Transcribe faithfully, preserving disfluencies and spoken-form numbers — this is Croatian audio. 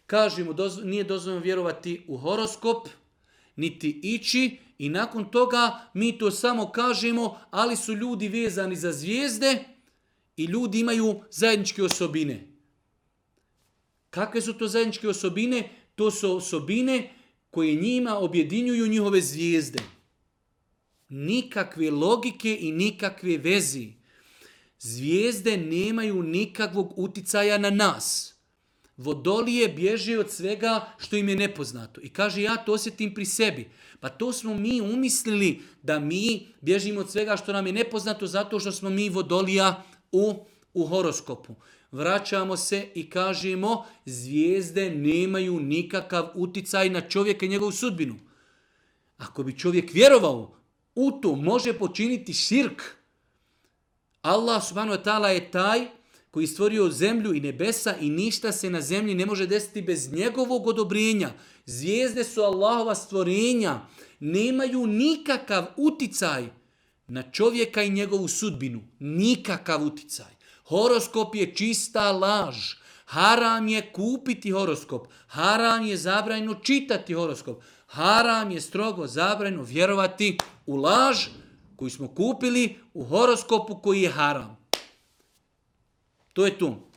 Kažemo, dozvo, nije dozvoljeno vjerovati u horoskop, niti ići i nakon toga mi to samo kažemo, ali su ljudi vezani za zvijezde i ljudi imaju zajedničke osobine. Kakve su to zajedničke osobine? To su osobine koje njima objedinjuju njihove zvijezde. Nikakve logike i nikakve vezi. Zvijezde nemaju nikakvog uticaja na nas. Vodolije bježe od svega što im je nepoznato. I kaže, ja to osjetim pri sebi. Pa to smo mi umislili da mi bježimo od svega što nam je nepoznato zato što smo mi vodolija u, u horoskopu. Vraćamo se i kažemo, zvijezde nemaju nikakav uticaj na čovjeka i njegovu sudbinu. Ako bi čovjek vjerovao u to, može počiniti širk. Allah subhanahu wa ta'ala je taj koji je stvorio zemlju i nebesa i ništa se na zemlji ne može desiti bez njegovog odobrenja. Zvijezde su Allahova stvorenja, nemaju nikakav uticaj na čovjeka i njegovu sudbinu. Nikakav uticaj. Horoskop je čista laž. Haram je kupiti horoskop. Haram je zabranjeno čitati horoskop. Haram je strogo zabranjeno vjerovati u laž koju smo kupili u horoskopu koji je haram. To je to.